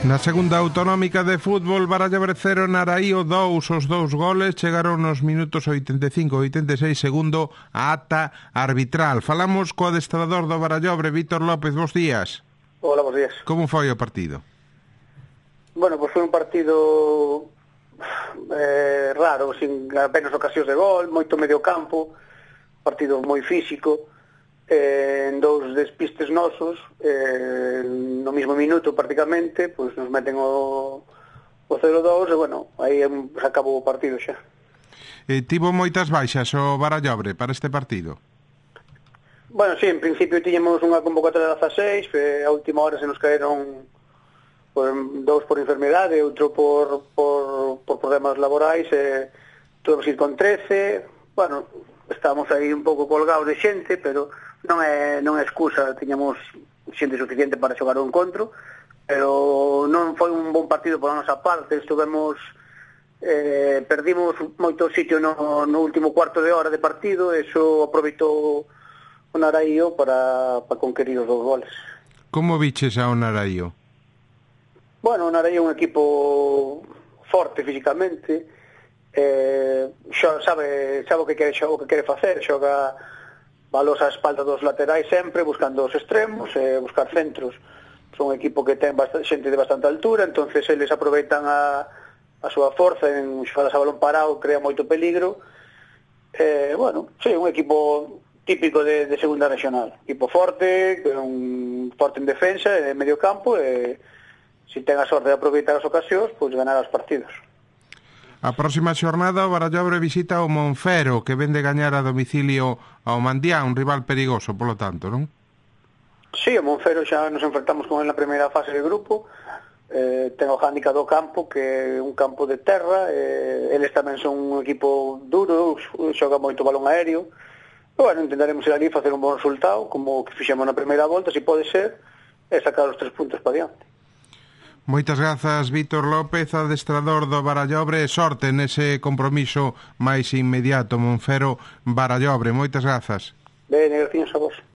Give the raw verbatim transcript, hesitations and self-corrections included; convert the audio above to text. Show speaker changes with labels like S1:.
S1: Na segunda autonómica de fútbol, Barallobre cero, Naraío dous. Os dous goles chegaron nos minutos oitenta e cinco e oitenta e seis, segundo a ata arbitral. Falamos co adestrador do Barallobre, Vítor López. Bos días.
S2: Hola, bos días.
S1: Como foi o partido?
S2: Bueno, pois foi un partido eh, raro, sin apenas ocasións de gol, moito medio campo, partido moi físico, eh, en dous despistes nosos, eh, no mismo minuto prácticamente, pois nos meten o, o cero dous e, bueno, aí se acabou o partido xa.
S1: Eh, tivo moitas baixas o Barallobre para este partido?
S2: Bueno, sí, en principio tiñamos unha convocatoria de dezaseis, e a última hora se nos caeron por, dous por enfermedade, outro por, por, por problemas laborais, e tuvemos ir con trece. Bueno, estábamos aí un pouco colgados de xente, pero non é, non é excusa, tiñamos xente suficiente para xogar o encontro, pero non foi un bon partido pola nosa parte. Estuvemos, eh, perdimos moito sitio no, no último cuarto de hora de partido, e iso aproveitou o Naraío para, para conquerir os dous goles.
S1: Como viches ao Naraío?
S2: Bueno, o Naraío é un equipo forte físicamente, eh, xo, sabe, sabe o que quere, o que quere facer, xoga balos á espalda dos laterais sempre, buscando os extremos, eh, buscar centros. Son un equipo que ten bastante, xente de bastante altura, entonces eles aproveitan a, a súa forza en xogadas a balón parado, crea moito peligro. Eh, bueno, sí, un equipo típico de, de segunda regional, equipo forte, un forte en defensa, en medio campo, e se ten a sorte de aproveitar as ocasións, pois ganar os partidos.
S1: A próxima xornada o Barallobre visita o Monfero, que vende gañar a domicilio ao Mandián, un rival perigoso, polo tanto, non?
S2: Sí, o Monfero xa nos enfrentamos con ele na primeira fase de grupo, eh, ten o hándicap do campo, que é un campo de terra, eh, eles tamén son un equipo duro, xoga moito balón aéreo. Bueno, intentaremos ir ali e facer un bon resultado, como que fixemos na primeira volta, se pode ser, e sacar os tres puntos para diante.
S1: Moitas grazas, Vítor López, adestrador do Barallobre, e sorte nese compromiso máis inmediato, Monfero Barallobre. Moitas grazas.
S2: Ben, gracias a vos.